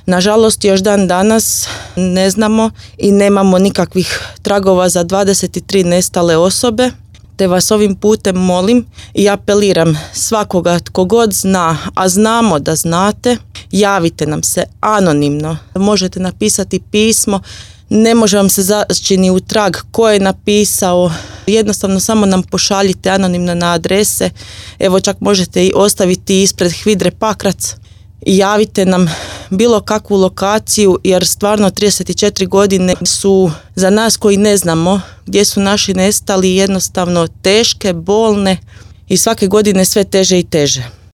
Nažalost, još dan danas ne znamo i nemamo nikakvih tragova za 23 nestale osobe, te vas ovim putem molim i apeliram svakoga tko god zna, a znamo da znate, javite nam se anonimno. Možete napisati pismo, ne može vam se zaći ni u trag ko je napisao, jednostavno samo nam pošaljite anonimno na adrese, evo čak možete i ostaviti ispred HVIDRE Pakrac i javite nam bilo kakvu lokaciju, jer stvarno 34 godine su za nas koji ne znamo gdje su naši nestali jednostavno teške, bolne i svake godine sve teže i teže.